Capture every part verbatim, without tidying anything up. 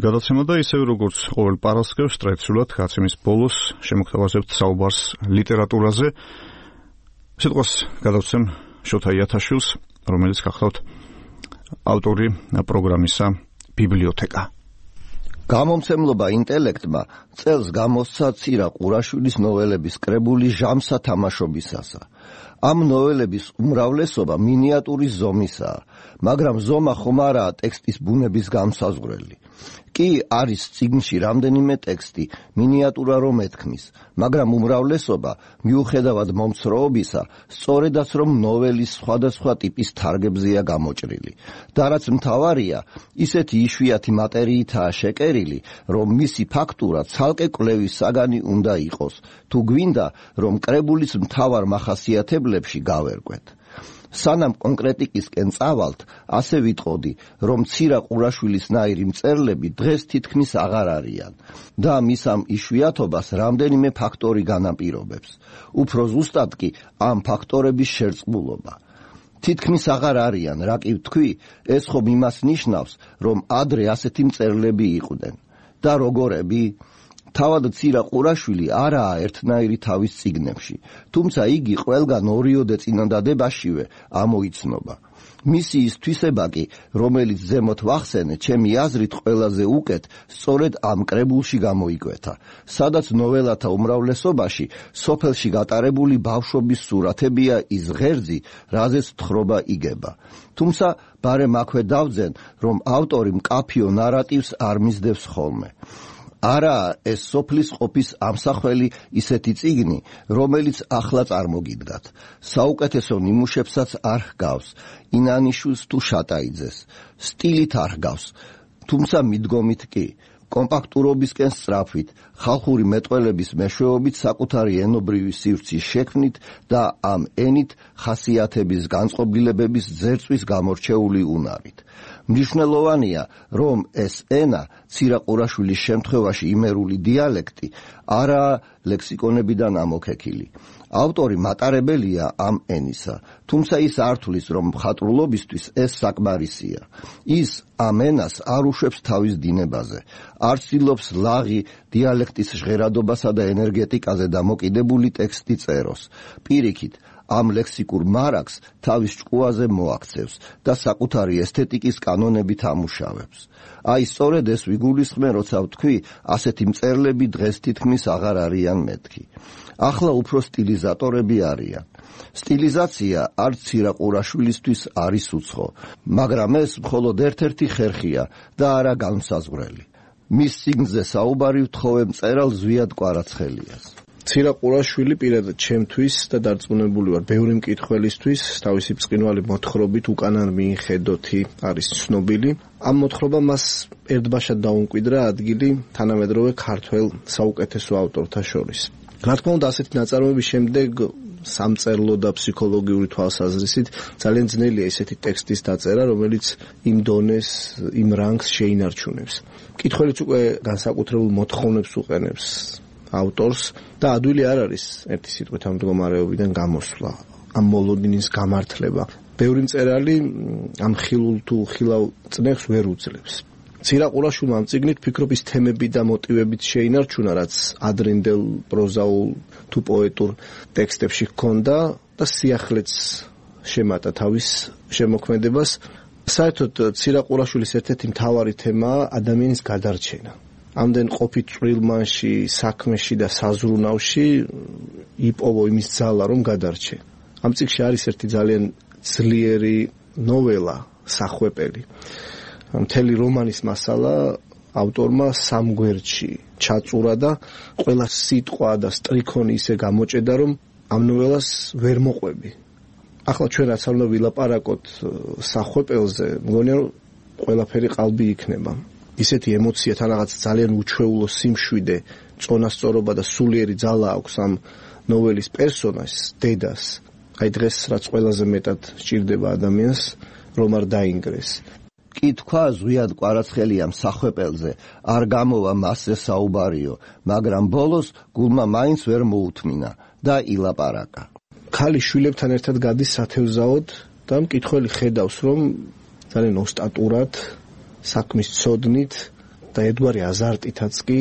გადაცემა და ისევ როგორც ყოველ პარასკევს ტრადიციულად გაცემის ბოლოს შემოგთავაზებთ საუბარს ლიტერატურაზე. სიტყვას გადავცემ შოთა იათაშვილს, რომელიც გახლავთ ავტორი პროგრამისა ბიბლიოთეკა. გამომცემლობა ინტელექტმა წელს გამოსცა ცირა ყურაშვილის ნოველების კრებული ჟამსა თამაშობისასა. ამ ნოველების უმრავლესობა მინიატურის ზომისაა, მაგრამ ზომა ხომ არაა ტექსტის ბუნების განსაზღვრელი. კი არის წიგნში რამდენიმე ტექსტი, მინიატურა რომ ეთქმის, მაგრამ უმრავლესობა მიუხედავად მომცროობისა, სწორედაც რომ ნოველის სხვადასხვა ტიპის თარგებზეა გამოჭრილი. და რაც მთავარია, ისეთი იშვიათი მატერიითაა შეკერილი, რომ მისი ფაქტურა ცალკე კვლევის საგანი უნდა იყოს, თუ გვინდა, რომ კრებულის მთავარ მახასიათებლებში გავერკვეთ. სანამ კონკრეტიკისკენ წავალთ, ასე ვიტყოდი, რომ ცირა ყურაშვილისნაირი მწერლები დღეს თითქმის აღარ არიან და მის ამ იშვიათობას რამდენიმე ფაქტორი განაპირობებს. უფრო ზუსტად კი ამ ფაქტორების შერწყმულობა. თითქმის აღარ არიან, რა კი ვთქვი, ეს ხომ იმას ნიშნავს, რომ ადრე ასეთი მწერლები იყვნენ. და როგორები? თავად ცირა ყურაშვილი არაა ერთნაირი თავის წიგნებში, თუმცა იგი ყველგან ორიოდე წინადადებაშივე ამოიცნობა. მისი ის თვისება კი, რომელიც ზემოთ ვახსენე, ჩემი აზრით ყველაზე უკეთ, სწორედ ამ კრებულში გამოიკვეთა, სადაც ნოველათა უმრავლესობაში სოფელში გატარებული ბავშვობის სურათებია ის ღერძი, რაზეც თხრობა იგება. თუმცა ბარემ აქვე დავძენ, რომ ავტორი მკაფიო ნარატივს არ მისდევს ხოლმე. არაა ეს სოფლის ყოფის ამსახველი ისეთი წიგნი, რომელიც ახლა წარმოგიდგათ. საუკეთესო ნიმუშებსაც არ ჰგავს, ინანიშვილს თუ შატაიძეს. სტილით არ ჰგავს, თუმცა მიდგომით კი. კომპაქტურობისკენ სწრაფვით, ხალხური მეტყველების მეშვეობით საკუთარი ენობრივი სივრცის შექმნით და ამ ენით ხასიათების განწყობილებების ძერწვის გამორჩეული უნარით. მნიშვნელოვანია, რომ ეს ენა, ცირა ყურაშვილის შემთხვევაში იმერული დიალექტი, არაა ლექსიკონებიდან ამოქექილი. ავტორი მატარებელია ამ ენისა, თუმცა ის არ თვლის, რომ მხატვრულობისთვის ეს საკმარისია. ის ამ ენას არ უშვებს თავის დინებაზე, არ ცდილობს ლაღი დიალექტის ჟღერადობასა და ენერგეტიკაზე დამოკიდებული ტექსტი წეროს. პირიქით, ამ ლექსიკურ მარაგს თავის ჭკუაზე მოაქცევს და საკუთარი ესთეტიკის კანონებით ამუშავებს. აი სწორედ ეს ვიგულისხმენ, როცა ვთქვი, ასეთი მწერლები დღეს თითქმის აღარ არიან მეთქი. ახლა უფრო სტილიზატორები არიან. სტილიზაცია არც ცირა ყურაშვილისთვის არის უცხო, მაგრამ ეს მხოლოდ ერთ-ერთი ხერხია და არა განსაზღვრელი. მის წიგნზე საუბარი ვთხოვე მწერალ ზვიად კვარაცხელიას. ცირა ყურაშვილი პირადად ჩემთვის და დარწმუნებული ვარ, ბევრი მკითხველისთვის თავისი ბრწყინვალე მოთხრობით უკანან მიხედოთი არის ცნობილი. ამ მოთხრობამ მას ერთბაშად დაუმკვიდრა ადგილი თანამედროვე ქართველ საუკეთესო ავტორთა შორის. რა თქმა უნდა, ასეთი ნაწარმოების შემდეგ სამწერლო და ფსიქოლოგიური თვალსაზრისით ძალიან ძნელია ესეთი ტექსტის დაწერა, რომელიც იმ დონეს, იმ რანგს შეინარჩუნებს. მკითხველიც უკვე განსაკუთრებულ მოთხოვნებს უყენებს ავტორს და ადვილი არ არის ერთი სიტყვით ამ მდგომარეობიდან გამოსვლა, ამ მოლოდინის გამართლება. ბევრი მწერალი ამ ხილულ თუ ხილავ წნეხს ვერ უძლებს. ცირა ყურაშვილმა ამ წიგნით ფიქრობ ის თემები და მოტივებით შეინარჩუნა, რაც ადრინდელ პროზაულ თუ პოეტურ ტექსტებში ჰქონდა და სიახლეც შემატა თავის შემოქმედებას. საერთოდ ცირა ყურაშვილის ერთ-ერთი მთავარი თემაა ადამიანის გადარჩენა. ამდენ ყოფით წვრილმანში, საქმეში და საზრუნავში იპოვო იმის ძალა, რომ გადარჩე. ამ წიგნში არის ერთი ძალიან ძლიერი ნოველა, სახვეპელი. მთელი რომანის მასალა ავტორმა სამ გვერდში ჩაწურა და ყველა სიტყვა და სტრიქონი ისე გამოჭედა, რომ ამ ნოველას ვერ მოყვები. ახლა ჩვენ რაც არ უნდა ვილაპარაკოთ სახვეპელზე, მგონია რომ ყველაფერი ყალბი იქნება. ისეთი ემოცია თან რაღაც ძალიან უჩვეულო სიმშვიდე, წონასწორობა და სულიერი ძალა აქვს ამ ნოველის პერსონაჟს, დედას. აი დღეს რაც ყველაზე მეტად სჭირდება ადამიანს, რომ არ დაინგრეს. კი თქვა ზვიად კვარაცხელიამ სახვეპელზე, არ გამოვა მასზე საუბარიო, მაგრამ ბოლოს გულმა მაინც ვერ მოუთმინა და ილაპარაკა. ქალი შვილებთან ერთად გადის სათევზაოდ და მკითხველი ხედავს, რომ ძალიან ოსტატურად, საქმის ცოდნით და ერთგვარი აზარტითაც კი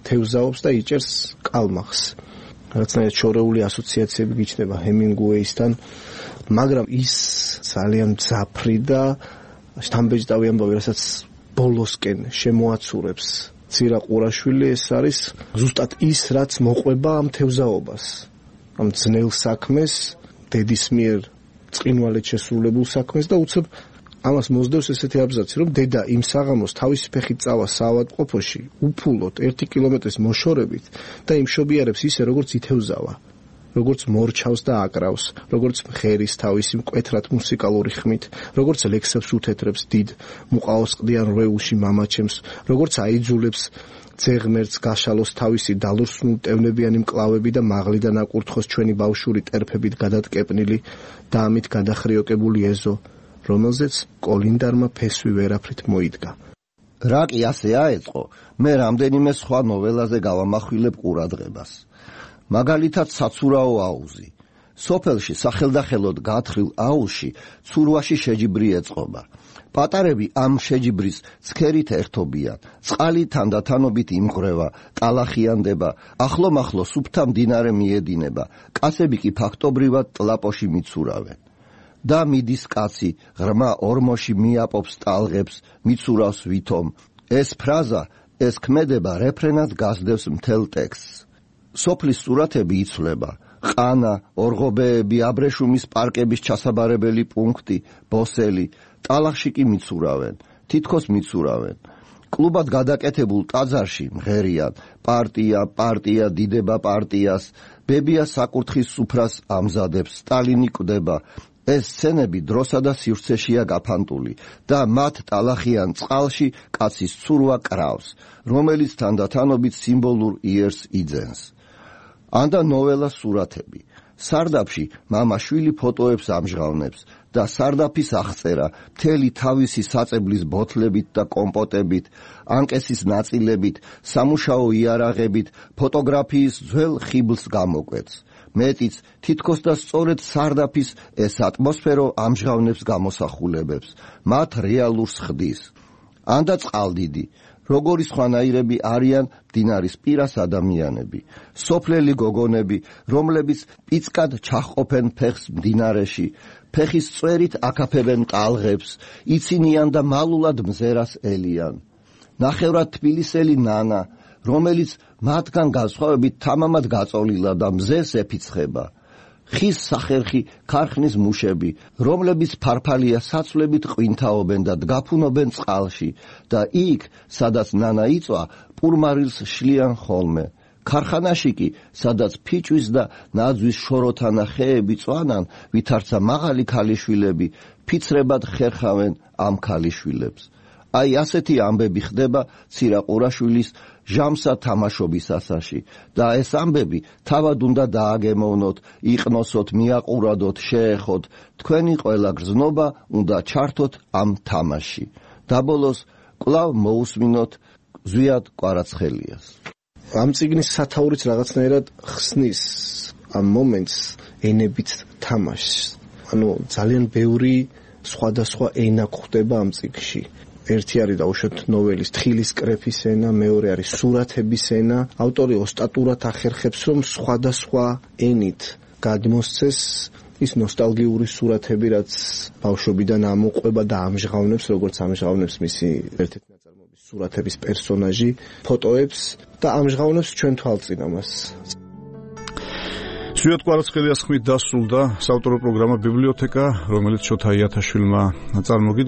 თევზაობს და იჭერს კალმახს. რაღაცნაირად შორეული ასოციაციები გიჩნდება ჰემინგუეისთან, მაგრამ ის ძალიან მძაფრი და შთამბეჭდავი ამბავი, რასაც ბოლოსკენ შემოაცურებს ცირა ყურაშვილი, ეს არის ზუსტად ის, რაც მოყვება ამ თევზაობას, ამ ძნელ საქმეს, დედის მიერ წყინვალედ შესრულებულ საქმეს და უცებ ამას მოსდევს ესეთი აბზაცი, რომ დედა იმ საღამოს თავისი ფეხით წავა საავადმყოფოში, უფულოდ ერთი კილომეტრის მოშორებით და იმშობიარებს ისე, როგორც ითევზავა, როგორც მორჩავს და აკრავს, როგორც მღერის თავისი მკვეთრად მუსიკალური ხმით, როგორც ლექსებს უთეთრებს დიდ მუყაოსყდიან რვეულში მამაჩემს, როგორც აიძულებს ძეღმერts გაშალოს თავისი დალურსნულტევნებიანი მკლავები და მაღლიდან აკურთხოს ჩვენი ბავშვური ტერფებით გადატკეპნილი და ამით გადახრიოკებული ეზო, რომელზეც კოლინდარმა ფესვი ვერაფრით მოიდგა. რა კი ასე აეწყო, მე რამდენიმე სხვა ნოველაზე გავამახვილებ ყურადღებას. მაგალითად საცურაო აუზი. სოფელში სახელდახელოდ გათხრილ აუზში ცურვაში შეჯიბრი ეწყობა. პატარები ამ შეჯიბრის ცქერით ერთობიან, წყალი თანდათანობით იმღრევა, ტალახიანდება, ახლომახლო სუფთა მდინარე მიედინება, კაცები კი ფაქტობრივად ტლაპოში მიცურავენ. და მიდის კაცი, ღრმა ორმოში მიაპობს ტალღებს, მიცურავს ვითომ. ეს ფრაზა, ეს ქმედება რეფრენად გასდევს მთელ ტექსტს. სოფლის სურათები იცვლება, ყანა, ორღობეები, აბრეშუმის პარკების ჩასაბარებელი პუნქტი, ბოსელი, ტალახში კი მიცურავენ, თითქოს მიცურავენ. კლუბად გადაკეთებულ ტაძარში მღერიან, პარტია, პარტია, დიდება პარტიას, ბებია საკურთხის სუფრას ამზადებს, სტალინი კვდება. ეს სცენები დროსა და სივრცეშია გაფანტული და მათ ტალახიან წყალში კაცის ცურვა კრავს, რომელიც თანდათანობით სიმბოლურ იერს იძენს. ანდა ნოველა სურათები. სარდაფში მამა შვილი ფოტოებს ამჟღავნებს და სარდაფის აღწერა მთელი თავისი საწებლის ბოთლებით და კომპოტებით, ანკესის ნაწილებით, სამუშაო იარაღებით, ფოტოგრაფიის ძველ ხიბლს გამოკვეთს. მეტიც თითქოს და სწორედ სარდაფის ეს ატმოსფერო ამჟღავნებს გამოსახულებებს, მათ რეალურს ხდის. ანდა წყალდიდი, როგორი სხვანაირები არიან მდინარის პირას ადამიანები, სოფლელი გოგონები, რომლებიც პიცკად ჩაჰყოფენ ფეხს მდინარეში, ფეხის წვერით აკაფებენ ტალღებს, იცინიან და მალულად მზერას ელიან. ნახევრად თბილისელი ნანა, რომელიც მათგან განსხვავებით თამამად გაწოლილა და მზეს ეფიცხება. ხის სახერხი ქარხნის მუშები, რომლებიც ფარფალია საცვლებით ყვინთაობენ და დგაფუნობენ წყალში და იქ, სადაც ნანა იწვა, პურმარილს შლიან ხოლმე. ქარხანაში კი, სადაც ფიჭვის და ნაძვის შოროთანა ხეები წვანან, ვითარცა მაღალი ქალიშვილები, ფიცრებად ხერხავენ ამ ქალიშვილებს. აი ასეთი ამბები ხდება ცირაყურაშვილის ჟამსა თამაშობის ასაში და ეს ამბები თავად უნდა დააგემოვნოთ, იყნოსოთ, მიაყურადოთ, შეეხოთ, თქვენი ყველა გრძნობა უნდა ჩართოთ ამ თამაში. დაბოლოს კვლავ მოусმინოთ ზვიად კვარაცხელიას. ამ წიგნის სათაურიც რაღაცნაირად ხსნის ამ მომენტს ენებით თამაშს. ანუ ძალიან ბევრი სხვადასხვა ენა გვხვდება ამ წიგნში. ერთი არის დაუშვათ ნოველის თხილის კრეფის ენა, მეორე არის სურათების ენა. ავტორი ოსტატურად ახერხებს, რომ სხვადასხვა ენით გადმოსცეს ის ნოსტალგიური სურათები, რაც ბავშვობიდან ამოყვება და ამჟღავნებს, როგორც ამჟღავნებს მისი ერთ-ერთი ნაწარმოების სურათების პერსონაჟი, ფოტოებს და ამჟღავნებს ჩვენ თვალწინამას. ზვიად კვარაცხელიას ხმით დასრულდა საავტორო პროგრამა ბიბლიოთეკა, რომელიც შოთა იათაშვილმა წარმოგიდგა.